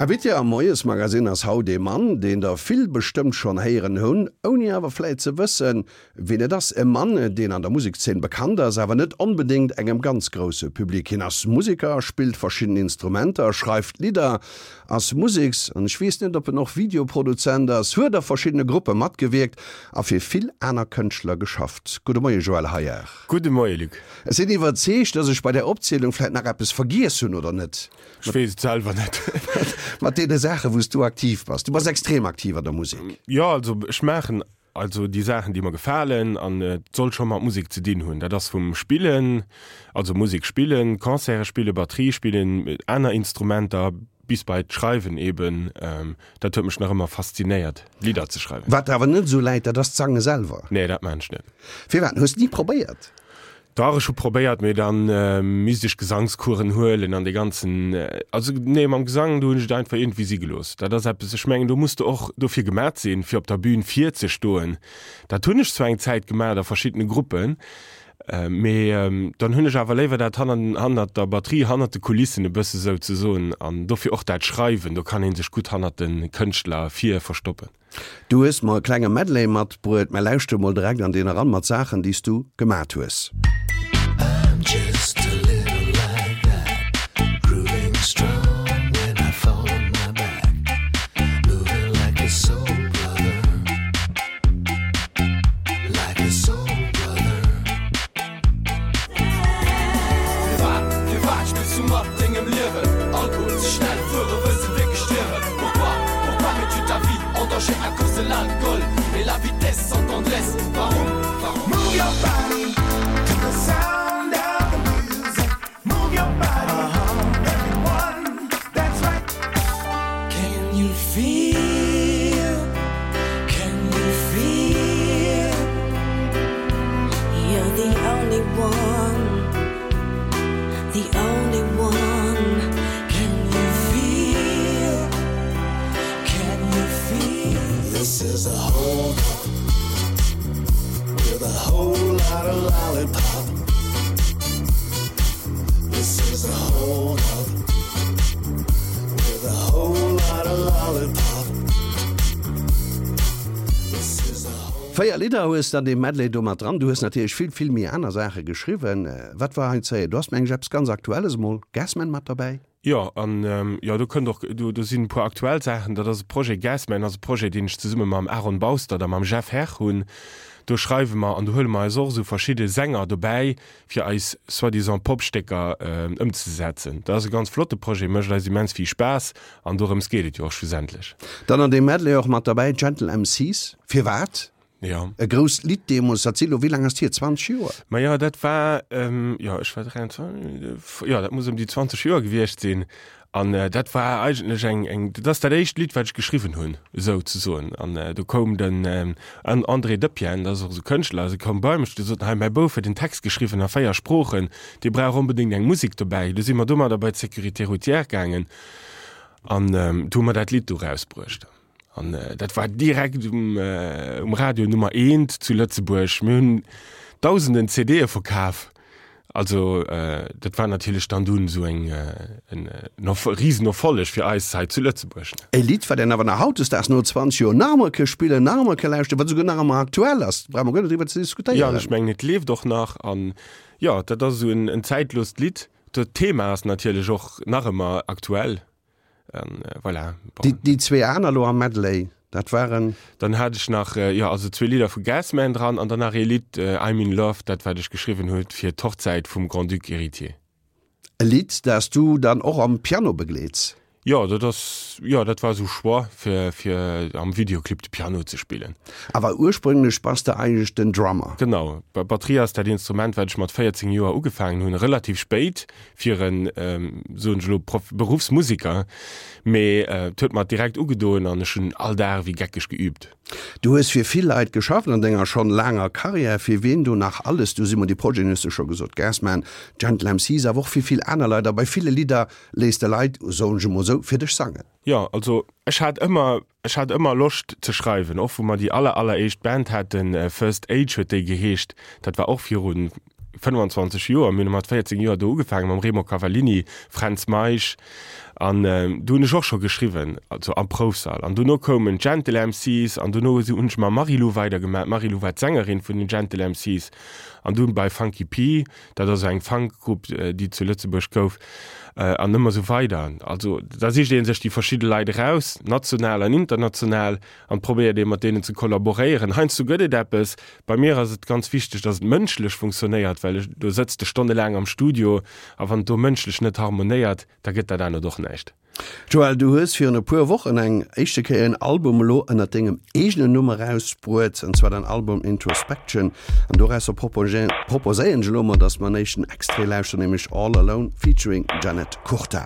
Invité am Moiesmagazine ass haut ee Mann, deen der vill bestëmmt schonn héieren hunn, ouni awer vläit ze wëssen, wien et ass. E Mann, deen an der Musekszeen bekannt ass, awer net onbedéngt engem ganz grousse Public. Hien ass Museker, spillt verschidden Instrumenter, schreift Lidder, ass Museks an ech weess net, ob en och Videoproduzent ass, huet a verschiddene Gruppe matgewierkt a fir vill aner Kënschtler geschafft. Gudde Moie Joël Heyard. Gudde Moie Luc. Ech sinn iwwerzeegt, dass ech bei där Opzielung vläit nach eppes vergiess hunn, oder net? Ech weess et selwer net. Mat deene Saachen, wou s du aktiv bass. Du bass extrem aktiv an der Musek. Jo, also ech maachen also déi Saachen, déi mer gefalen an et soll scho mat Musek ze dinn hunn. Dat ass vum Spillen, also Musek spillen, Concerte spillen, Batterie spillen, aner Instrumenter bis bei d'Schreiwen eben. Dat huet mech nach ëmmer faszinéiert, Lidder ze schreiwen. Wat der awer net esou läit, dat ass d'Sange selwer. Nee, dat maan ech net. Firwat? Hues de ni probéiert? Dach, ech hu probéiert, mee dann misst ech Gesangskuren huelen an dee ganzen, also nee, mam Gesang, do hunn ech et einfach iergendwéi si gelooss. Dat ass eppes, ech mengen, do muss de och dofir gemat sinn, fir op der Bühn virzestoen. Dat hunn ech zwar eng Zäit gemat a verschiddene Gruppen, mee dann hunn ech awer léiwer dat hanner, hannert der Batterie, hannert de Kulissen e bësse souzesoen an dofir och dat Schreiwen, do kann ee sech gutt hannert de Kënschtler vir verstoppen. Du hues mer e klenge Medley matbruet, mä lauschter mol direkt an deen eran mat Saachen déi s du gemat hues. 4 Lidder hues de an deem Medley do mat dran. Du hues natierlech vill, vill méi aner Saache geschriwwen. Wat war hei ze héieren? Du has mengen ech eppes ganz Aktuelles emol, Gasman, mat derbäi. Jo, an jo, do kënnt och, do, do sinn e puer aktuell Saachen. Dat ass e Projet, Gasman ass e Projet, deen ech zesumme mam Aaron Baustert a mam Jeff Herr hunn. Do schreiwe mer an do huele mer eis och esou verschidde Sänger dobäi, fir eis soi-disant Popstécker ëmzesetzen. Dat ass e ganz flotte Projet, mécht eis immens vill Spaass an dorëms geet et jo och schlussendlech. Dann an deem Medley och mat derbäi Gentle MCs. Firwat? Jo. E grousst Lidd deemools, dat si lo, wéi laang ass d'hier, 20 Joer? Ma jo, dat war, jo, ech war 23, jo, dat muss ëm déi 20 Joer gewiescht sinn. An dat war eigentlech eng, eng, dat ass dat éischt Lidd, wat ech geschriwwen hunn, esou ze soen. An do koum den André Depienne, dat ass och esou Kënschtler, dee koum bei mech, dee sot, hei, mäi Bouf huet en Text geschriwwen a 4 Sproochen, dee brauch onbedéngt eng Musek dobäi. Du si mer domadder bei d'Sécurité routière gaangen an du hu mer dat Lidd do erausbruecht. An dat war direkt um, um Radio Nummer eent zu Lëtzebuerg. Mir hunn dausenden CDe verkaf. Also dat war natierlech dann dunn esou eng en Riesenerfolleg fir eis hei zu Lëtzebuerg. E Lidd, wat een awer nach hautdesdaags no 20 Joer nach emol ke spillen, nach emol ke lauschteren, wat esouguer nach ëmmer aktuell ass, brauche mer guer net driwwer ze diskutéieren. Jo, an ech mengen et leeft och nach. An jo, dat ass esou en zäitlost Lidd. D'Thema ass natierlech och nach ëmmer aktuell. An voilà. Bon. Déi zwee aner lo am Medley, dat waren? Dann hat ech nach, jo, also zwee Lidder vu Gasman dran an dann nach ee Lidd, I'm in Love, dat wat ech geschriwwen huet fir d'Hochzäit vum Grand-Duc Héritier. E Lidd, dat s du dann och am Piano begleets? Jo, dat ass, jo, dat war esou Choix fir, fir am Videoclip de Piano ze spillen. Awer ursprünglech bass de eigentlech den Drummer. Genau, Batterie ass dat Instrument, wat ech mat 14 Joer ugefaangen hunn, relativ spéit fir en, soen ech elo, Prof, Beruffsmusiker, mee et huet mer direkt ugedoen an ech hunn all Dag ewéi geckeg geübt. Du hues fir vill Leit geschafft an denger schonn laanger Karriär. Fir wien do nach alles? Du Simon, déi Projeten hues de scho gesot, Gasman, Gentle MCs, awer och fir vill aner Leit. A bei ville Lidder léiss de Leit, soen ech emol esou, fir dech sangen. Jo, also ech hat ëmmer, ech hat ëmmer Loscht ze schreiwen, och wou mer déi aller alleréischt Band haten, First Age huet déi geheescht, dat war och viru 25 Joer, mir hunn mat 14 Joer do ugefaangen mam Remo Cavallini, Fränz Meisch. An do hunn ech och scho geschriwwen, also am Proufsall. An dono koumen d'Gentle MCs an dono hunn ech mam Marie-Lou weidergemaach. D'Marie-Lou war d'Sängerin vun den Gentle MCs. An dunn bei Funky P, dat ass eng Funk-Grupp, déi et zu Lëtzebuerg gouf. An ëmmer esou weider. Also da sicht ee sech déi verschidde Leit eraus, national an international, an probéiert ee mat deenen ze kollaboréieren. Heiansdo gëtt et eppes. Bei mir ass et ganz wichteg, datt et mënschlech funktionéiert, well ech, do sëtz de stonnelaang am Studio a wann et do mënschlech net harmonéiert, da gëtt dat anert och näischt. Joël, du hues virun e puer Wochen eng éischte Kéier en Album elo ënnert dengem eegenen Numm erausbruet, an zwar den Album Introspection. An dorausser proposéieren ech elo mol, dass mer en éischten Extrait lauschteren, nämlech All Alone featuring Janet Curta.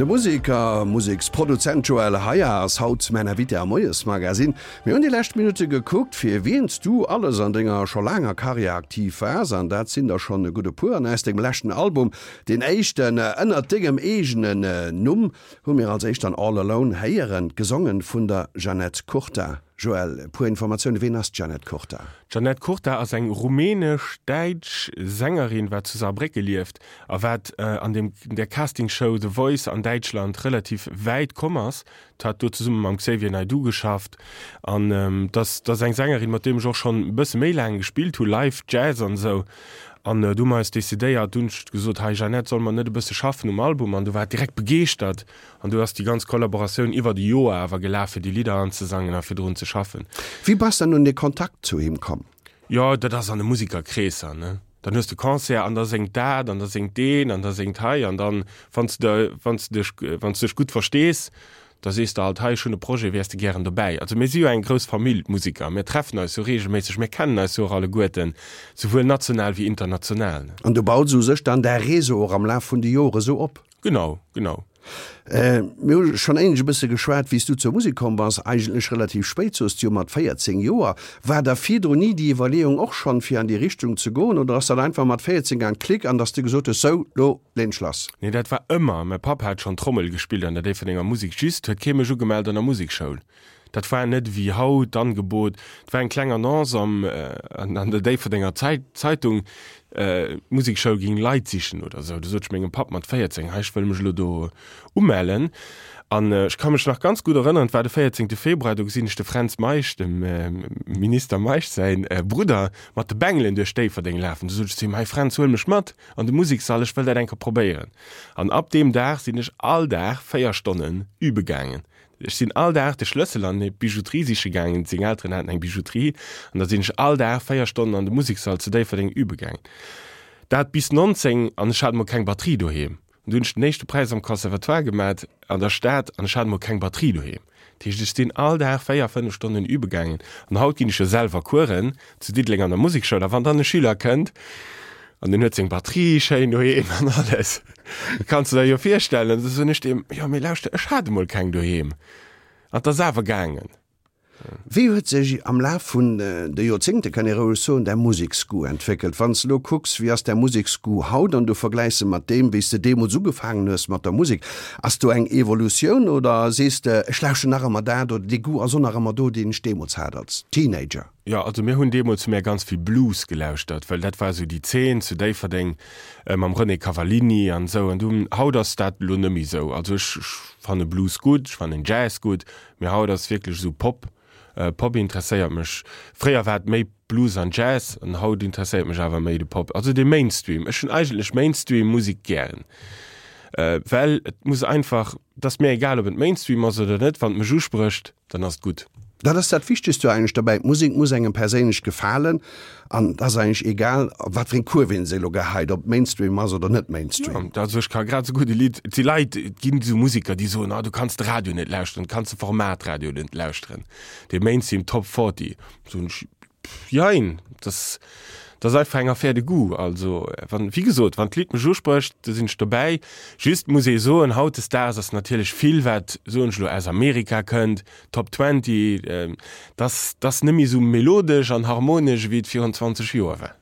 De Museker, Museksproduzent Joël Heyer ass haut mäin Invité am Moiesmagazine. Mir hunn déi lescht Minutte gekuckt, fir wien s du alles an denger scho laanger Karriär aktiv waars, an dat sinn der schonn e gutt e puer. An aus dengem leschten Album, deen éischten ënnert dengem eegenen Numm, hu mir als éischt dann All Alone héieren, gesongen vun der Jeannette Curta. Joël, e puer Informatiounen, Ween ass d'Jeannette Curta? D'Jeannette Curta ass eng rumänesch-däitsch Sängerin, wat zu Saarbrécke lieft a wat an dem der Castingshow The Voice an Däitschland relativ wäit komm ass. D'hat do zesumme mam Xavier Naidoo geschafft an dat ass eng Sängerin, mat deem ech och schonn e bësse méi laang gespillt hu live, Jazz an esou. An du hu mer eis decidéiert, du hunn ech gesot, hei Jeannette, solle mer net e bësse schaffen um Album? An du war et direkt begeeschtert an du ass déi ganz Kollaboratioun iwwert e Joer awer gelaf, fir déi Lidder anzesangen a fir drun ze schaffen. Wéi bass dann un de Kontakt zu him komm? Jo, dat ass an de Musikerkreesser, ne? Dann hues de Concert an da séngt dat an da séngt deen an da séngt hei an dann, wann s de, wann s de dech, wann s de dech gutt verstees. Da sees de halt, hei ech hunn e Projet, wäers de gären dobäi? Also mir si jo eng grouss Famill, d'Musiker, mir treffen eis jo reegelméisseg, mir kennen eis jo och alleguerten, souwuel national wéi international. An du baus u sech dann däi Réseau och am Laf vun de Jore sou op? Genau, genau. Mir hu schonn éinescht e bësse geschwat, wéi s du zur Musek komm bass, eigentlech relativ spéit, soos de jo, mat 14 Joer. War da virdrun ni déi Iwwerleeung och schonn, fir an déi Richtung ze goen, oder ass dat einfach mat 14 gaang, Klick, an dass de gesot hues, sou, lo leen ech lass? Nee, dat war ëmmer. Mäi Papp hat schonn Trommel gespillt an der Déifferdenger Musek, just huet kee mech ugemellt an der Musekschoul. Dat war net ewéi haut d'Angebot. Et war eng kleng Annonce am, an der Déifferdenger Zeitung, d'Musekschoul géing Leit sichen oder esou. Du sot ech mengem Papp mat 14, hei ech wëll mech elo do umellen. An ech ka mech nach ganz gutt erënneren, et war de 14. Februar, do gesinn ech de Fränz Meisch, dem Minister Meisch säi Brudder, mat de Bengelen duerch Déifferdeng lafen. Du sot ech zu him, hei Fränz, huel mech mat an de Musekssall, ech wëll dat eng Kéier probéieren. An ab deem Dag sinn ech all Dag 4 Stonnen übe gaangen. Ech sinn all Dag de Schlëssel an d'Bijouterie siche gaangen, seng Elteren haten eng Bijouterie, an da sinn ech all Dag 4 Stonnen an de Musekssall zu Déifferdeng übe gaangen. Dat bis 19, an ech hat emol keng Batterie doheem. An du hunn ech den éischte Präis am Conservatoire gemat an der Stad, an ech hat emol keng Batterie doheem. Dat heescht, ech sinn all Dag 4, 5 Stonnen übe gaangen. An haut ginn ech jo selwer Coursen zu Diddeleng an der Musekschoul, a wann dann e Schüler kënnt, an deen huet seng Batterie schéin doheem an alles, kanns de der jo virstellen, da soen ech deem, jo mee lauschter, ech hat emol keng doheem an 't ass awer gaangen. Wéi huet sech am Laf vun de Joerzéngte, kann ee roueg soen, däi Museksgoût entwéckelt? Wann s de elo kucks, wéi ass däi Museksgoût haut an du vergläichs e mat deem, wéi s de deemools ugefaangen hues mat der Musek, ass do eng Evolutioun oder sees de, ech lauschten nach ëmmer dat oder dee Goût ass och nach ëmmer do, deen ech deemools hat als Teenager? Jo, also mir hunn deemools hu mär ganz vill Blues gelauschtert, well dat war esou déi Zeen zu Déifferdeng mam René Cavallini an esou. An dunn, haut ass dat elo net méi esou. Also ech fanne Blues gutt, ech fannen Jazz gutt, mee haut ass wierklech esou Pop, Pop interesséiert mech. Fréier war et méi Blues an Jazz an haut interesséiert mech awer méi de Pop, also de Mainstream. Ech hunn eigentlech Mainstream-Musek gären, well et muss einfach, et ass mir egal, ob et Mainstream ass oder net, wann et mech usprécht. Dann ass et gutt. Dat ass dat Wichtegst jo eigentlech dobäi, d'Musek muss engem perséinlech gefalen an et ass eigentlech egal, op wat fir eng Kurv een se elo geheit, ob et Mainstream ass oder net Mainstream. Jo, also ech ka grad esou gutt e Lidd, et si Leit, et ginn esou Museker, déi soen, ah du kanns de Radio net lauschteren, du kanns de Format Radio net lauschteren, de Mainstream Top 40. Soen ech, Jein, dat ass einfach eng Affaire de goût. Also, wann, wéi gesot, wann d'Lidd mech usprécht, da sinn ech dobäi. Just muss ee soen, hautdesdaags ass natierlech vill, wat, soen ech elo, aus Amerika kënnt, Top Twenty, dat ass net méi esou melodesch an harmonesch, ewéi et virun 20 Joer war.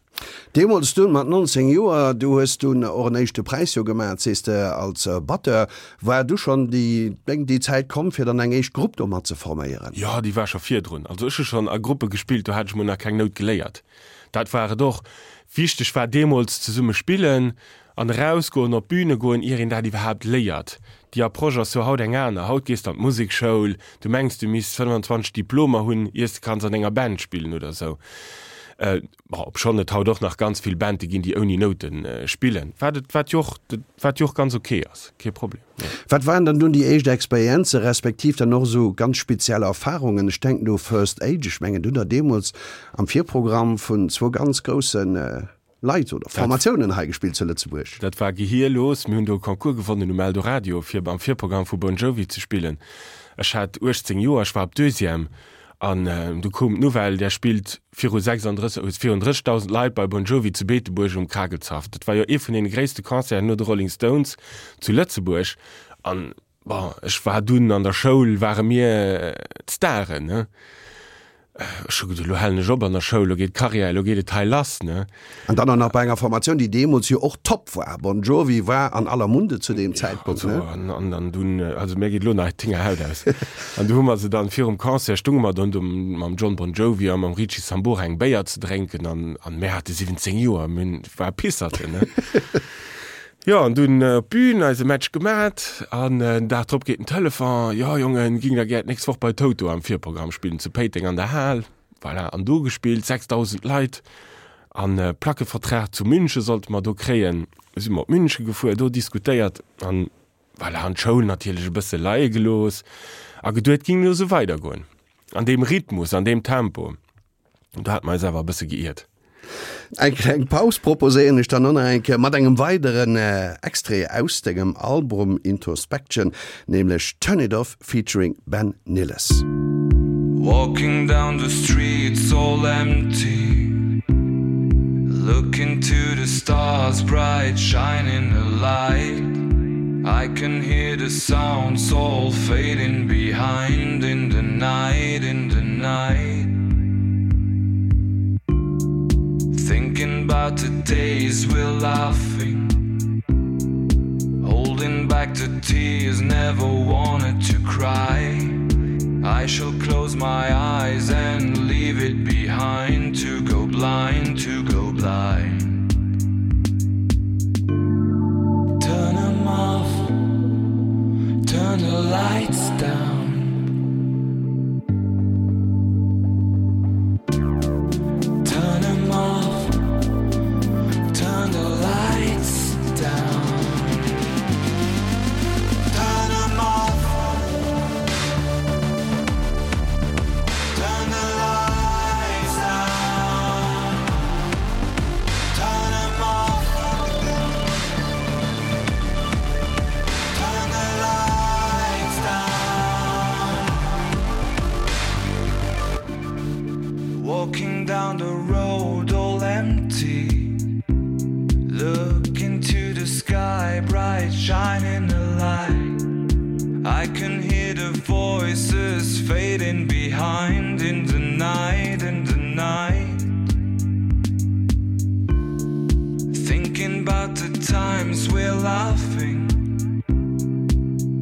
Deemools dunn mat 19 Joer, du hues dunn och en éischte Präis jo gemaat, sees de, als Batteur. War du schonn déi, déi Zäit komm, fir dann eng éischt Grupp do mat ze forméieren? Jo, déi war scho virdrun. Also ech hu schonn a Gruppe gespillt, do hat ech mol nach keng Nout geléiert. Dat war et och. Wichteg war deemools zesumme spillen an erausgoen, op d'Büne goen, ier een dat iwwerhaapt léiert. Déi Approche ass jo haut eng aner. Haut gees de an d'Musekschoul, du mengs du misst 25 Diplomer hunn, iers de kanns an enger Band spillen oder esou. Bon, obschonn et haut och nach ganz vill Bande ginn, déi ouni Noute spillen, wat et, wat jo och, wat jo och ganz ok ass, kee Problem, jo. Wat waren dann dunn déi éischt Experienze respektiv dann och esou ganz speziell Erfarungen? Ech denken do First Age, ech mengen do hutt Der deemools am Virprogramm vun zwou ganz grousse Leit oder Formatiounen hei gespillt zu Lëtzebuerg. Dat war gehierlos. Mir hunn do e Concours gewonnen um Eldoradio, fir am Virprogramm vu Bon Jovi ze spillen. Ech hat 18 Joer, ech war op Deuxième an du koum d'Nouvelle, där spillt viru 36, virun 30.000 Leit bei Bon Jovi zu Beetebuerg um Kragelzhaff. Dat war jo ee vun deene gréisste Concerten no de Rolling Stones zu Lëtzebuerg. An bon, ech war dunn an der Schoul, ware mir d'Staren, ne? Ech hu geduet, elo halen ech op an der Schoul, elo geet d'Karriär, elo geet et hei lass, ne? An dann och nach bei enger Formatioun, déi deemools jo och top war. Bon Jovi war an aller Munde zu deem Zäitpunkt, ne? Also, an, an dunn, also mir geet elo nach d'Hingerhaut aus. An du hu mer se dann virum Concert, stunge mer dann do mam Jon Bon Jovi a mam Richie Sambora eng Béier ze drénken an, an mir hate 17 Joer, mir hunn, war Pisserten, ne? Jo, an dunn op d'Bühn, eise Match gemat an den Dag drop geet den Telefon, Jo Jongen, ging der gär d'nächst Woch bei Toto am Virprogramm spillen zu Péiteng an der Hal. Voilà, an do gespillt, 6.000 Leit an Plackevertrag zu München sollte mer do kréien. Si mer op München gefuer, do diskutéiert an voilà, an d'Schoul natierlech e bësse leie gelooss a geduet, ging elo sou weidergoen an deem Rhythmus, an deem Tempo. Do hate mer eis awer e bësse geiert. Eng kleng Paus proposéieren ech dann och nach eng Kéier mat engem weideren Extrait aus dengem Album Introspection, nämlech Turn It Off featuring Ben Nilles. Walking down the streets all empty Looking to the stars bright shining a light I can hear the sounds all fading behind in the night in the night Thinking about the days we're laughing Holding back the tears never wanted to cry I shall close my eyes and leave it behind to go blind to go blind Turn them off turn the lights down Turn them off turn the lights down Turn them off Turn the lights down Turn them off Turn the lights down Walking down the road all empty Look into the sky bright shining the light I can hear the voices fading behind in the night in the night Thinking about the times we're laughing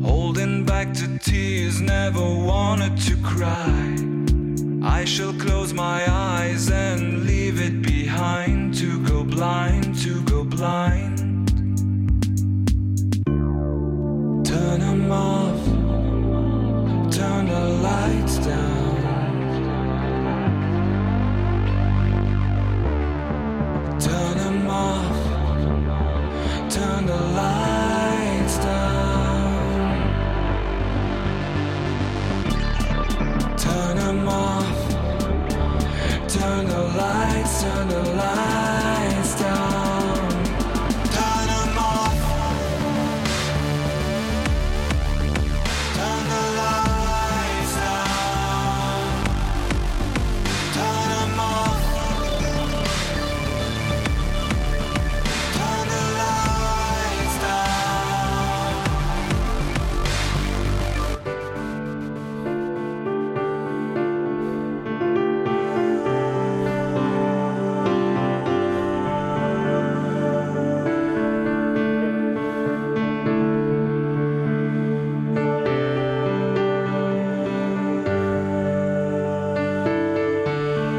Holding back the tears never wanted to cry I shall close my eyes and leave it behind to go blind to go blind Turn them off turn the lights down Turn them off turn the lights down Turn them off turn the lights turn the lights down Turn them off Turn the lights down Turn them off Turn the lights down.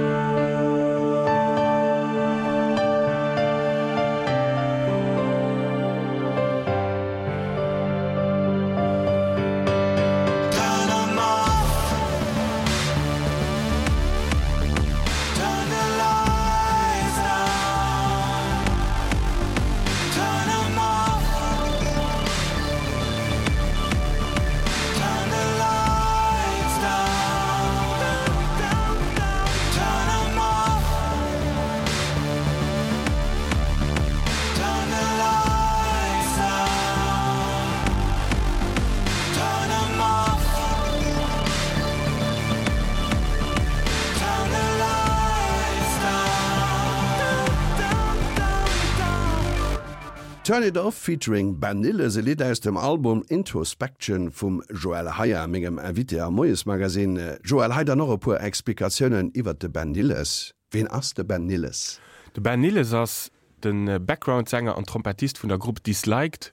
Turn 'em off. Turn the lights down. Turn 'em off. Turn the lights down. Turn 'em off. Turn the lights down. Turn 'em off. Turn the lights down. Turn It Off featuring Ben Nilles, e Lidd aus dem Album Introspection vum Joël Heyer, mengem Invité am Moiesmagazin. Joël, hei dann och e puer Explikatiounen iwwert de Ben Nilles. Ween ass de Ben Nilles? De Ben Nilles ass de Background-Sänger an Trompettist vun der Grupp Disliked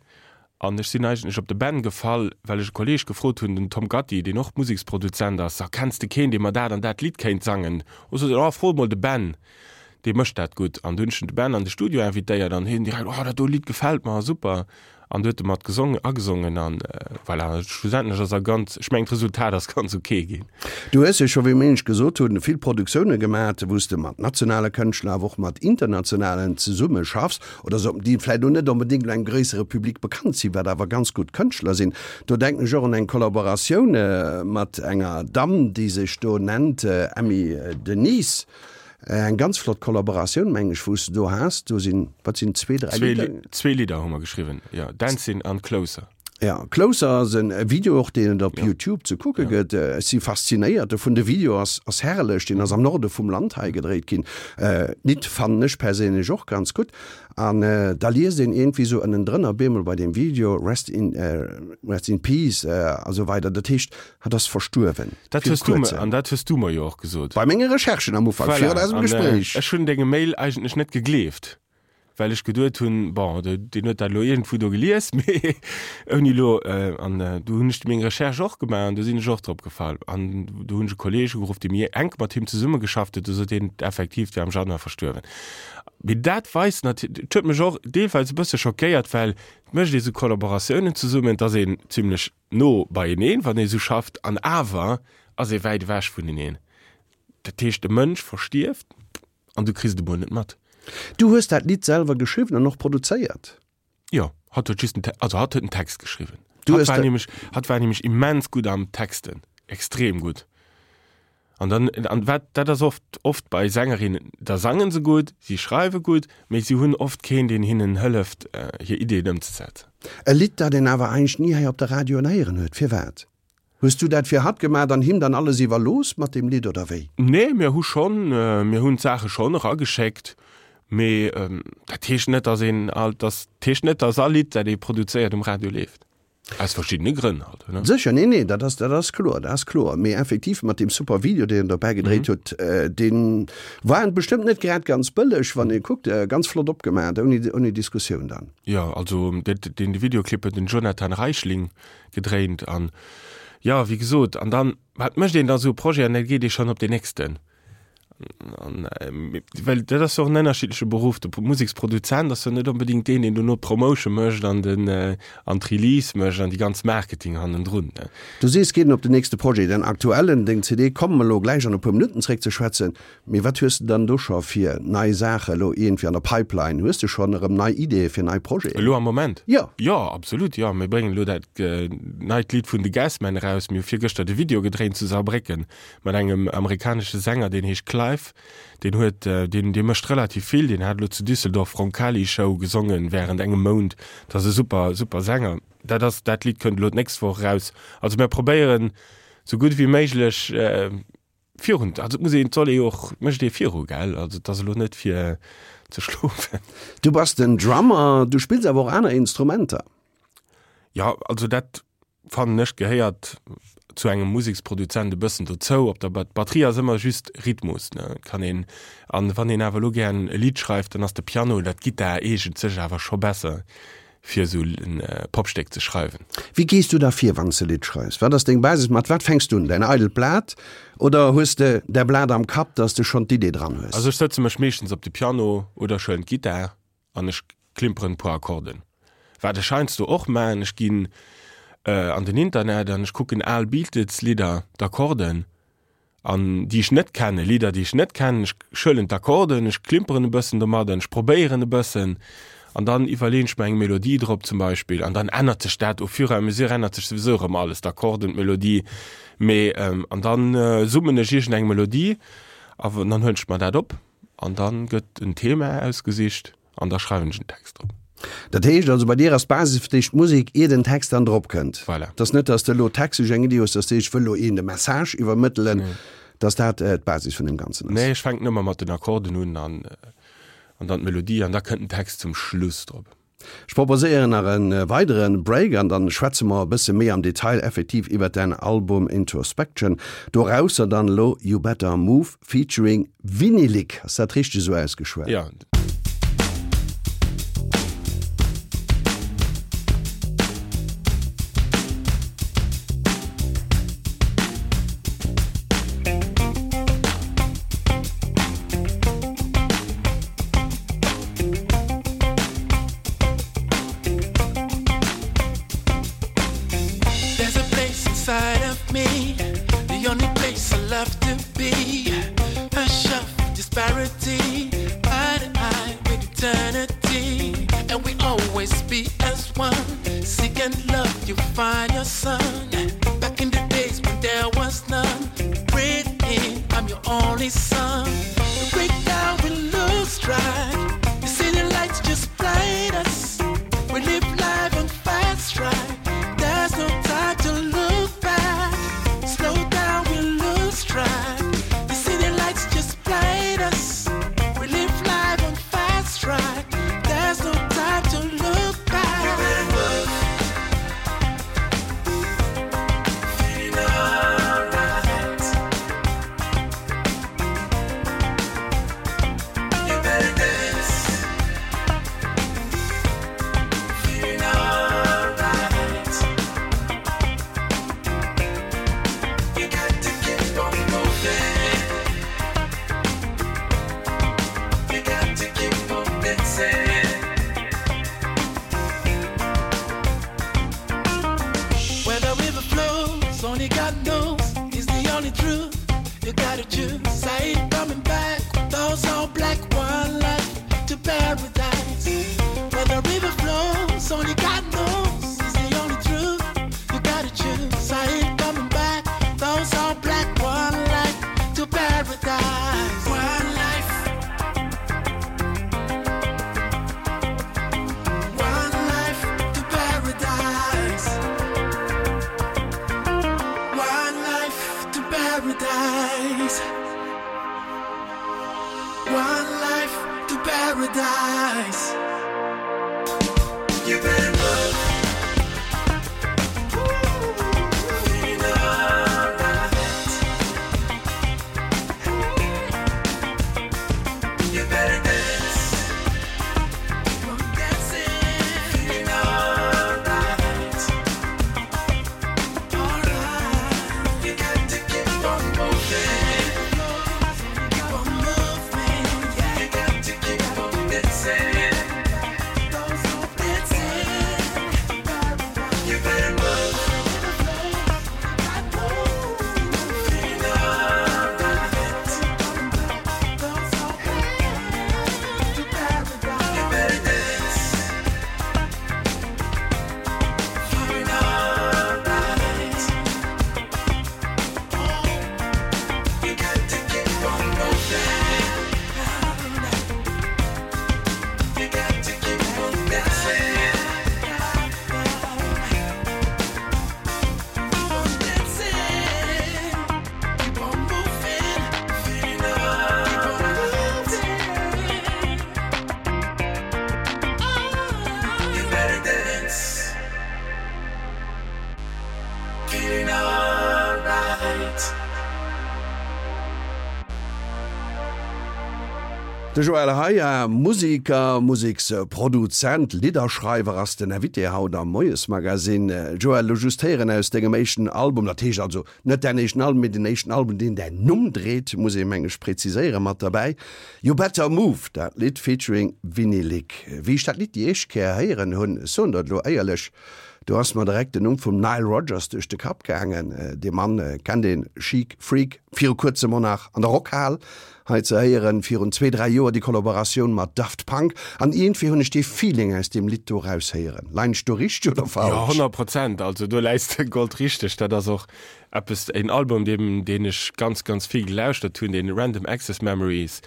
an ech sinn eigentlech op de Ben gefall, well ech e Kolleeg gefrot hunn, den Tom Gatti, deen och Museksproduzent ass, Sa, kenns de keen, dee mer dat an dat Lidd kéint sangen? O sot en, Oh, fro emol de Ben, dee mécht dat gutt. An du hunn ech den Ben an de Studio invitéiert an hien direkt, Oh, dat do Lidd gefält mer, super. An du huet e mat gesongen, agesongen an voilà, schlussendlech ass er ganz, ech mengen d'Resultat ass ganz ok ginn. Du hues jo scho, wéi mir éinescht gesot hunn, vill Produktioune gemat, wou s de mat nationale Kënschtler, awer och mat internationalen zesumme schaffs oder sou, déi vläicht elo net onbedéngt elo engem gréissere Public bekannt sinn, wat awer ganz gutt Kënschtler sinn. Do denken ech och un eng Kollaboratioun mat enger Damm, déi sech do nennt Emmy Denise. Eng ganz flott Kollaboratioun, meng ech, wou s de do has. Do sinn, wat sinn, zwee, dräi Lidder? Zwee Lidder hu mer geschriwwen, jo, Dancing an Closer. Ja, Closer ass en Video och, deen et op Youtube ze kucke gëtt. Ech si faszinéiert dovun. De Video ass ass herrlech, deen ass am Norde vum Land hei gedréit ginn. D'Lidd fannen ech perséinlech och ganz gutt. An da liest een iergendwéi sou ënnendrënner bemol bei deem Video Rest in Rest in Peace a sou weider. Dat heescht, hatt ass verstuerwen. Dat hues du mer, an dat hues du mer jo och gesot. Bei menge Recherchen am Ufank, virun eisem Gespréich. Ech hunn dengem Mail eigentlech net gegleeft. Well ech geduet hunn, bon, deen huet dat elo iergendwou do gelies, mee ouni elo, an du hunn ech meng Recherche och gemaach an du sinn ech och drop gefall. An du hunn ech e Kolleeg ugeruff, dee méi enk mat him zesummegeschafft huet, du sot hien, effektiv, dee war am Januar verstuerwen. Mee dat weist natierlech, et huet mech och deelweis e bësse schockéiert, well et mécht ee sou Kollaboratiounen zesummen, et ass een zimlech no beieneen, wann ee sou schafft, an awer ass ee wäit ewech vuneneen. Dat heescht, e Mënsch verstierft, An du kriss et emol net mat. Du hues dat Lidd selwer geschriwwen an och produzéiert? Jo, hatt huet just den Te-, also hatt huet den Text geschriwwen. Du Hatt hues war nämlech, hatt war nämlech immens gutt am Texten, extrem gutt. An dann, an wat, dat ass oft, oft bei Sängerinnen, da sangen se gutt, si schreiwe gutt, mee si hunn oft keen, deen hinnen hëlleft, hir Ideeën ëmzesetzen. E Lidd, dat een awer eigentlech ni hei op de Radioen héieren huet. Firwat? Hues du dat fir hatt gemaat an him dann alles iwwerlooss mat deem Lidd oder wéi? Nee, mir hu schonn, mir hunn d'Saache schonn erageschéckt, mee dat heescht net, dass een all, dass heescht net, dass all Lidd, dat ee produzéiert, um Radio leeft. Aus verschiddene Grënn halt, ne? Sécher, nee, nee, dat ass, dat ass kloer, dat ass kloer. Mee effektiv mat deem super Video, deen en dobäi gedréit huet, dee war bestëmmt net grad ganz bëlleg, wann ee kuckt, ganz flott opgemaat, ouni, ouni Diskussioun dann. Jo, also dat, deen Videoclip huet den Jonathan Reichling gedréint an jo, wéi gesot, an dann, wat mécht een da sou e Projet an da geet ee schonn op deen nächsten. An well dat ass jo och en ënnerschiddleche Beruff, de Museksproduzent ass jo net onbedéngt deen, deen dono d'Promotion mécht an den an d'Release mécht an déi ganz Marketing hannendrun. Du sees, geet en op den nächste Projet, den aktuellen, deng CD, komme mer elo gläich an e puer Minutten zréck ze schwätzen. Mee wat hues de dann do scho fir nei Saache elo iergendwéi an der Pipeline? Hues de schonn erëm nei Ideeë fir nei Projeten? Elo am Moment? Jo. Jo, absolut, jo. Mir bréngen elo dat neit Lidd vun The Gasmen eraus. Mir hu virgëschter de Video gedréint zu Saarbrécken mat engem amerikanesche Sänger, deen heescht Clive. Deen huet, deen, dee mécht relativ vill. Deen hat elo zu Düsseldorf Roncalli Show gesongen wärend engem Mount. Dat ass e super, super Sänger. Dat ass, dat Lidd kënnt elo d'nächst Woch eraus. Also mir probéieren, sou gutt wéi méiglech, Virun, also et muss een, et soll ee jo och, mécht ee viru, gell? Also et ass elo net fir ze schlofen. Du bass den Drummer, du spills awer och aner Instrumenter. Jo, also dat fannen ech gehéiert zu engem Museksproduzent e bëssen dozou. Op der Batterie ass ëmmer just Rhythmus, ne, kann een, an wann een awer elo gären e Lidd schreift, dann ass de Piano oder d'Gittar eegent sech awer scho besser. fir esou en Popstéck ze schreiwen. Wéi gees du da vir, wann s de e Lidd schreifs? Wat ass deng Basis? Mat wat fänks du un? Däin eidelt Blat oder hues de däi Blat am Kapp, dass de schonn d'Idee dran hues? Also ech sëtze mech meeschtens op de Piano oder ech huelen d'Gittar an ech klimperen e puer Akkorden. Wat ech heiansdo och maachen, ech ginn an den Internet an ech kucken al Beatles-Lidder, d'Akkorden, an déi ech net kennen, Lidder déi ech net kennen, ech huelen d'Akkorden, ech klimperen e bëssen domadden, ech probéieren e bëssen an dann iwwerleen ech mer eng Melodie drop zum Beispill an dann ännert sech dat au fur et à mesure ännert sech souwisou erëm alles, d'Akkorden, d'Melodie, mee an dann summen ech iergend eng Melodie a dann huelen ech mer dat op an dann gëtt en Thema ausgesicht. An da schreiwen ech en Text drop. Dat heescht also, bei dir ass d'Basis fir d'éischt d'Musek, ier den Text dann drop kënnt. Voilà. Et ass net, dass de elo textlech eng Iddi hues, dass de sees, ech wëll elo een de Message iwwermëttelen, dass dat d'Basis vun deem Ganzen ass. Nee, ech fänken ëmmer mat den Akkorden un an an dann d'Melodie an da kënnt den Text zum Schluss drop. Ech proposéieren nach e weidere Break an dann schwätze mer e bësse méi am Detail effektiv iwwert däin Album Introspection. Dorausser dann elo You Better Move featuring Vinylic. Ass dat richteg esou ausgeschwat? Jo. There's a place inside of me, the only place I love to be. A shelf disparity, eye to eye with eternity. And we always be as one. Seeking love, you find your son. Back in the days when there was none. Breathe in, I'm your only son. Breathe. track. The city lights just blind us. We live life on fast track. There's no time to look back. Slow down, we lose track. The city lights just blind us. We live life on fast track. There's no time to look back. You better move. Feeling alright. You better dance. Feeling alright. You got to keep on moving. You got to keep on dancing. Where the river flows, only God knows is the only truth. You gotta choose. I ain't coming back. Those all black, one life to paradise. Where the river flows, only God knows is the only truth. You gotta choose. I ain't coming back. Those all black, one life to paradise. One life. One life to paradise. One life to paradise. One life to paradise. You better move. Feeling alright. You better dance. Keep on dancing. Feeling alright. Alright. You got to keep on moving. Keep on moving. Yeah. You got to keep on dancing. Don't stop dancing. You better move. Feeling alright. You better dance. Feeling alright. You got to keep on moving. You got to keep on dancing. Keep on dancing. Keep on moving. Feeling alright. Keep on moving. You better dance. Feeling alright. De Joël Heyer, Musiker, Museksproduzent, Lidderschreiwer ass den Invité haut am Moiesmagazin. Joël, elo just héieren aus dengem éischten Album, dat heescht also net däin éischten Album, mee den éischten Album, deen däin Numm dréit, muss ee meng ech präziséieren, mat derbäi, You Better Move, dat Lidd featuring Vinnie Lick. Wéi ech dat Lidd déi éischt Kéier héieren hunn, ech soen der et elo éierlech, do ass mer direkt den Numm vum Nile Rodgers duerch de Kapp gaangen. Dee Mann kennt een, Chic Freak, viru kuerzem och nach an der Rockhal Hei ze héieren virun zwee, dräi Joer déi Kollaboratioun mat Daft Punk an iergendwéi hunn ech dee Feeling aus deem Lidd do raushéieren. Leien ech do richteg oder Jo, falsch? 100 Prozent. Also do läis de goldrichteg. Dat ass och eppes, en Album, deem, deen ech ganz, ganz vill gelauschtert hunn, dee Random Access Memories.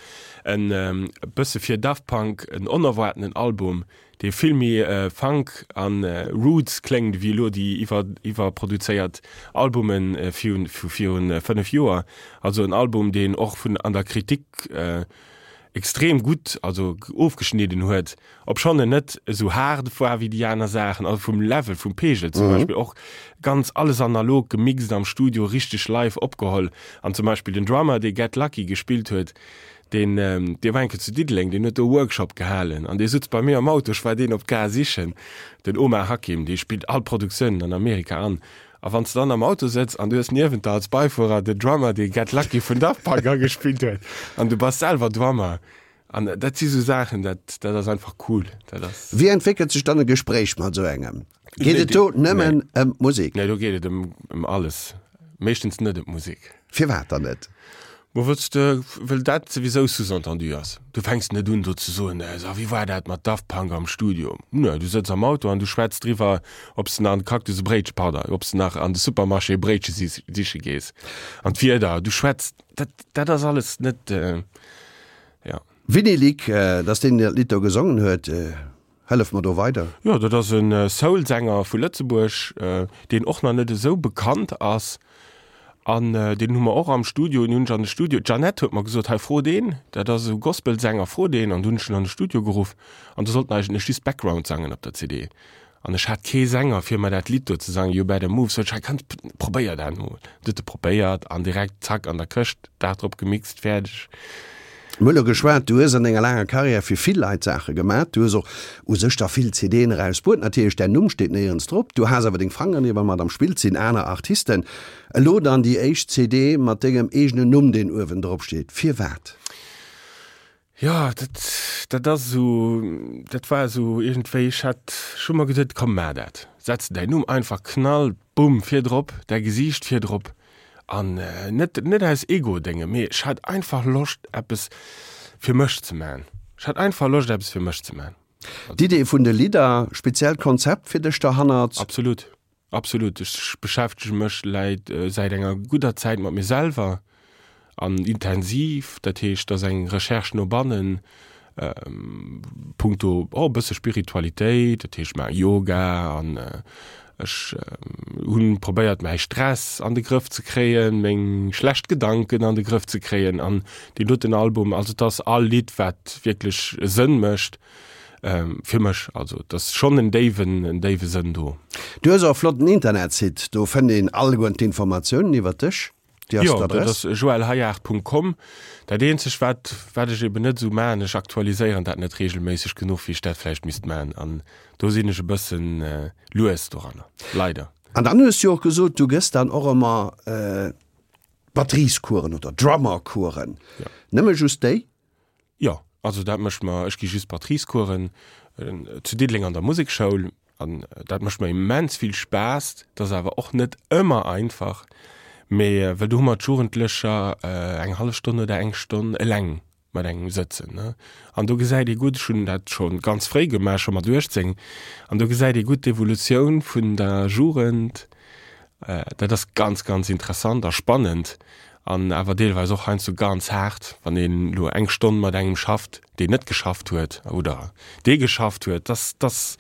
En e bësse fir Daft Punk en onerwaartenen Album, dee vill méi Funk an Roots kléngt ewéi elo déi iwwer iwwerproduzéiert Albumen virun vu virun 5 Joer. Also en Album deen och vun an der Kritik extrem gutt also ofgeschnidden huet, obschonn en net esou haart war wéi déi aner Saachen, also vum Level, vum Pegel zum Beispill och ganz alles analog gemixt am Studio, richteg live opgeholl an zum Beispill den Drummer dee Get Lucky gespillt huet, Deen, dee war eng Kéier zu Diddeleng, deen huet do e Workshop gehalen an dee sutz bei mir am Auto, ech war deen op d'Gare sichen, den Omar Hakim, dee spillt all Produktiounen an Amerika an. A wann s de dann am Auto sëtz an du hues niewent der als Beifuerer den Drummer, dee Get Lucky vun Daft Punk agespillt huet an du bass selwer Drummer an dat si sou Saachen, dat, dat ass einfach cool, dat ass. Wéi entwéckelt sech dann e Gespréich mat esou engem? Geet et do nëmmen ëm d'Musek? Nee, do geet et ëm, ëm alles, meeschtens net ëm d'Musek. Firwat dann net? Mo wëlls de, well dat souwisou sous-entendu ass. Du fänks net un do ze soen, so wéi war dat mat Daft Punk am Studio? Nee, du sëtz am Auto an du schwätz driwwer, ob s de nach an de Cactus e Bréitche, pardon, ob s de nach an de Supermarché e Bréitche siche gees. An d'Wieder, du schwätz, dat, dat ass alles net, jo. Vinnie Lick, dat ass deen, deen dat Lidd do gesongen huet. Hëllef mer do weider. Jo, dat ass e Soul-Sänger vu Lëtzebuerg, deen och nach net esou bekannt ass. An deen hu mer och am Studio, deen hunn ech an de Studio, d'Jeannette huet mer gesot, hei fro deen, dat ass esou Gospelsänger, fro deen. An du hunn ech en an de Studio geruff an do sollt en eigentlech just Background sangen op der CD. An ech hat kee Sänger fir mer dat Lidd do ze sangen, You Better Move, sot ech, hei kanns, probéier dat emol. Du huet e probéiert an direkt zack an der Këscht, Dag drop gemixt, fäerdeg. Mir hu lo geschwat, du hues an denger laanger Karriär fir vill Leit Saache gemat, du hues och u sech der vill CDen erausbruet, natierlech däin Numm steet néierens drop, du has awer deng Fangeren iwwer mat am Spill, et sinn aner Artisten. Elo dann déi éischt CD mat dengem eegenen Numm deen uewen drop steet, firwat? Jo, dat, dat ass esou, dat war esou iergendwéi, ech hat, ech hu mer geduet, komm maach dat, setz däin Numm einfach, knall, bumm, virdrop, däi Gesiicht virdrop an net, net aus Ego-Dénge, mee ech hat einfach Loscht eppes fir mech ze man. Ech hat einfach Loscht eppes fir mech ze man. D'Idee vun de Lidder, speziellt Konzept fir dech derhannert? Absolut. Absolut, ech beschäftege mech läit säit enger gudder Zäit mat mir selwer an intensiv. Dat heescht, et ass eng Recherche no bannen, punkto och e bësse Spiritualitéit. Dat heescht, ech maache Yoga an ech hunn probéiert mäi Stress an de Grëff ze kréien, meng schlecht Gedanken an de Grëff ze kréien an deen doten Album, also et ass all Lidd wat wierklech e Sënn mécht. Fir mech, also et ass schonn en déiwen, en déiwe Sënn do. Du hues och e flotten Internetsite, do fënnt een alleguerten d'Informatiounen iwwert dech. Déi ass d'Adress? Jo, dat ass joelhayard.com. Dat eenzegt wat, wat ech eben net esou maachen, ech aktualiséieren dat net regelméisseg genuch, wéi ech dat vläicht misst maachen. An do sinn ech e bëssen lues doranner, leider. An dann hues du jo och gesot, du gëss dann och ëmmer Batteriescoursen oder Drummercoursen. Nëmme just déi? Jo, also dat mécht mer, ech gi just Batteriescoursen zu Diddeleng an der Musekschoul an dat mécht mer immens vill Spaass. Dat ass awer och net ëmmer einfach, mee well do hu mer d'Jugendlecher eng hallef Stonn oder eng Stonn eleng mat engem sëtzen, ne. An do gesäit ee gutt, ech hunn dat scho ganz fréi gemaach, scho mat 18, an do gesäit ee gutt d'Evolutioun vun der Jugend. Dat ass ganz, ganz interessant a spannend. An awer deelweis och heiansdo ganz haart, wann een elo eng Stonn mat engem schafft, deen net geschafft huet oder dee geschafft huet, dass, dass.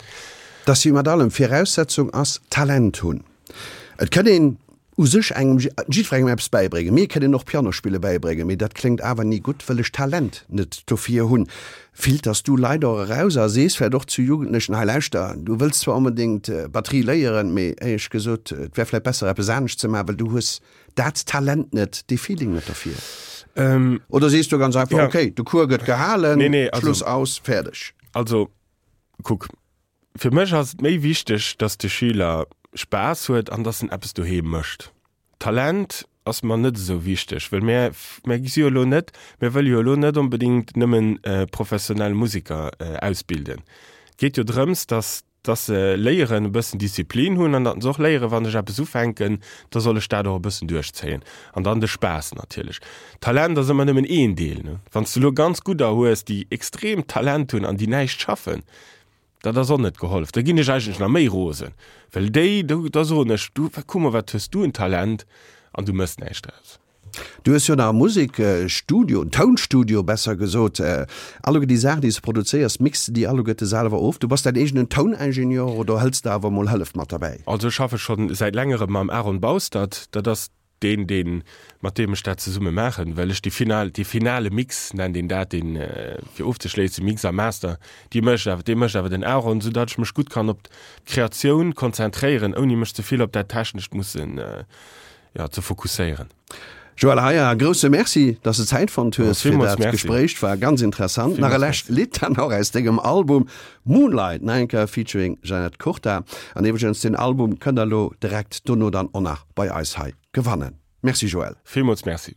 Dass wéi mat allem, Viraussetzung ass Talent hunn. Et kënn een u sech engem, jiddwerengem eppes bäibréngen. Mir kënnen och Pianospille bäibréngen, mee dat kléngt awer ni gutt, wëll ech d'Talent net dofir hunn. Filters du Leit och eraus a sees vläicht och zu Jugendlechen, hei lauschter, du wëlls zwar onbedéngt Batterie léieren, mee éierlech gesot, et wär vläicht besser eppes anescht ze maachen, well du hues dat Talent net, dee Feeling net derfir? Oder sees du ganz einfach, okay, de Cours gëtt gehalen, Schluss, aus, fäerdeg? Also kuck, fir mech ass et méi wichteg, datt de Schüler Spaass huet an datt en eppes doheem mécht. Talent ass mer net esou wichteg, well mär, mär si jo elo net, mär wëlle jo elo net onbedéngt nëmmen professionell Museker ausbilden. Et geet jo drëms, datt dass se léieren e bëssen Disziplin hunn an datt se och léieren, wann ech eppes ufänken, da soll ech dat och e bëssen duerchzéien. An dann de Spaass natierlech. Talent ass ëmmer nëmmen een Deel, ne? Wann s de elo ganz gudder hues, déi extreem Talent hunn an déi näischt schaffen, dat ass och net gehollef. Da ginn ech eigentlech nach méi rosen, well déi, do, da soen ech, du, kuck mol, wat hues du en Talent an du méchs näischt draus. Du hues jo nach e Musekstudio, en Tounstudio besser gesot. Alleguer déi Saachen, déi s de produzéiers, mixs de déi alleguerte selwer of? Du bass däin eegenen Touningenieur oder hëls de awer mol Hëllef mat derbäi? Also ech schaffe scho säit längerem mam Aaron Baustert, dat ass deen, deen, mat deem ech dat zesumme maachen, well ech déi final, dee finale Mix nennt een dat, deen fir ofzeschléissen, Mix a Master, déi mécht awer, dee mécht awer den Aaron, soudatt ech mech gutt kann op d'Kreatioun konzentréieren, ouni mech ze vill op dat Technescht mussen jo, ze fokusséieren. Joël Heyer, grousse Merci, dass de Zäit fonnt hues fir dat Gespréich. War ganz interessant. Nach e lescht Lidd dann och aus dengem Album Moonlight, nach eng Kéier featuring Jeanette Kurta. An iwwregens, den Album kënnt der elo direkt dono dann och nach bei eis hei gewannen. Merci Joël. Villmools Merci.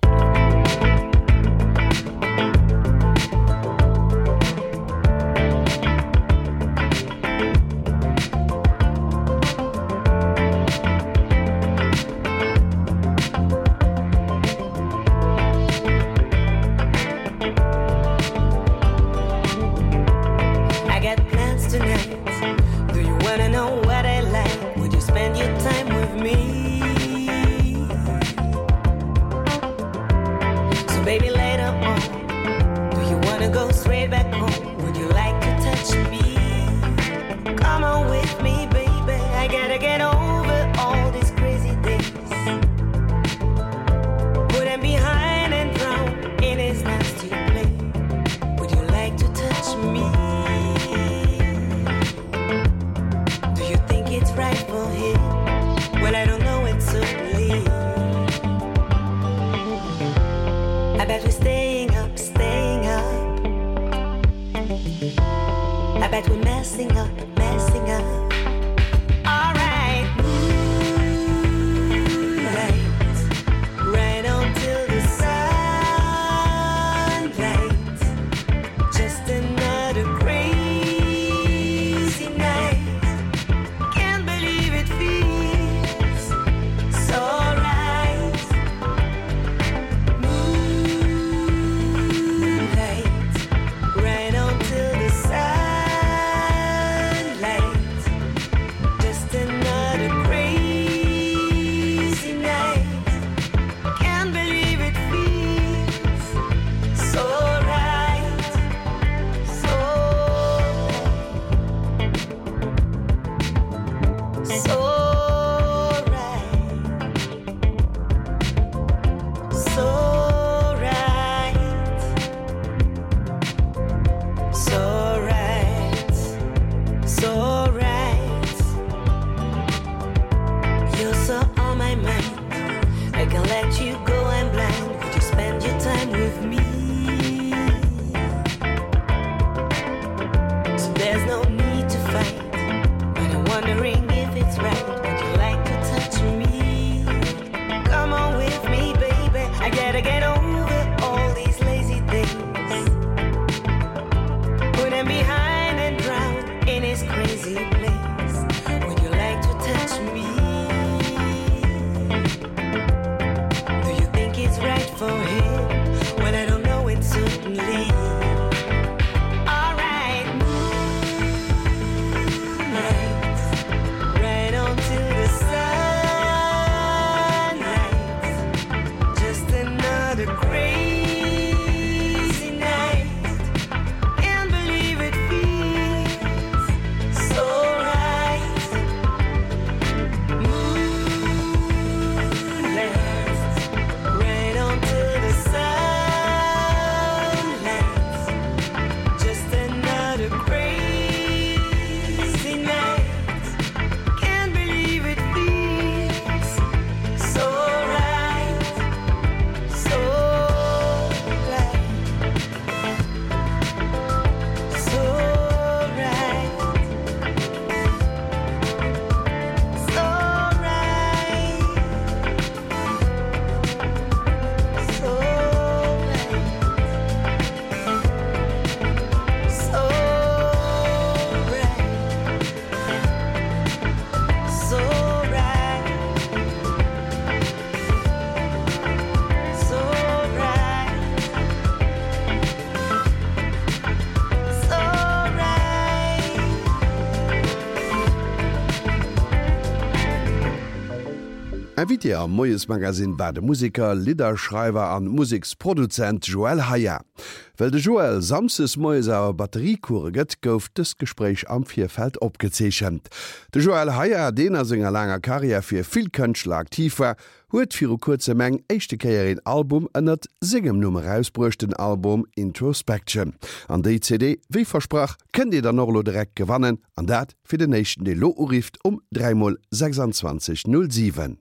Gonna go straight back home. Would you like to touch me? Come on with me, baby. I gotta get over all these crazy days. Put him behind and drown in his nasty play. Would you like to touch me? Do you think it's right for him? Well, I don't know it certainly. I bet we're staying up, staying up. I bet we're messing up, messing up. All right, moonlight, right on till the sunlight. Just another crazy night. Can't believe it feels so right. Moonlight, right on till the sunlight. Just another crazy night. Can't believe it feels so right, so right, so right, so right, so right, so right. You're so on my mind. I can let you go and blind. Would you spend your time with me? So there's no need to fight. But I'm wondering if it's right. Would you like to touch me? Come on with me, baby. I gotta get over all these lazy things. Put him behind and drown in his crazy place. Would you like to touch me? Do you think it's right for him? Well, I don't know it certainly. All right, moonlight, right on till the sunlight. Just another crazy night. Can't believe it feels so right. Moonlight, right on till the sunlight. Just another crazy night. Can't believe it feels so right, so right, so right, so right, so right, so right, so right, so right, so right. Invité am Moiesmagazin war de Museker, Lidderschreiwer an Museksproduzent Joël Haya. Well de Joël samsdes moies awer Batteriecourse gëtt, gouf dëst Gespréich am Virfeld opgezeechent. De Joël Haya, deen a senger laanger Karriär fir vill Kënschtler aktiv war, huet viru kuerzem eng éischte Kéier een Album ënnert sengem Numm erausbruecht, den Album Introspection. An déi CD, wéi versprach, kënnt dir dann och elo direkt gewannen, an dat fir den éischten dee lo urifft um 3 mol 26 07.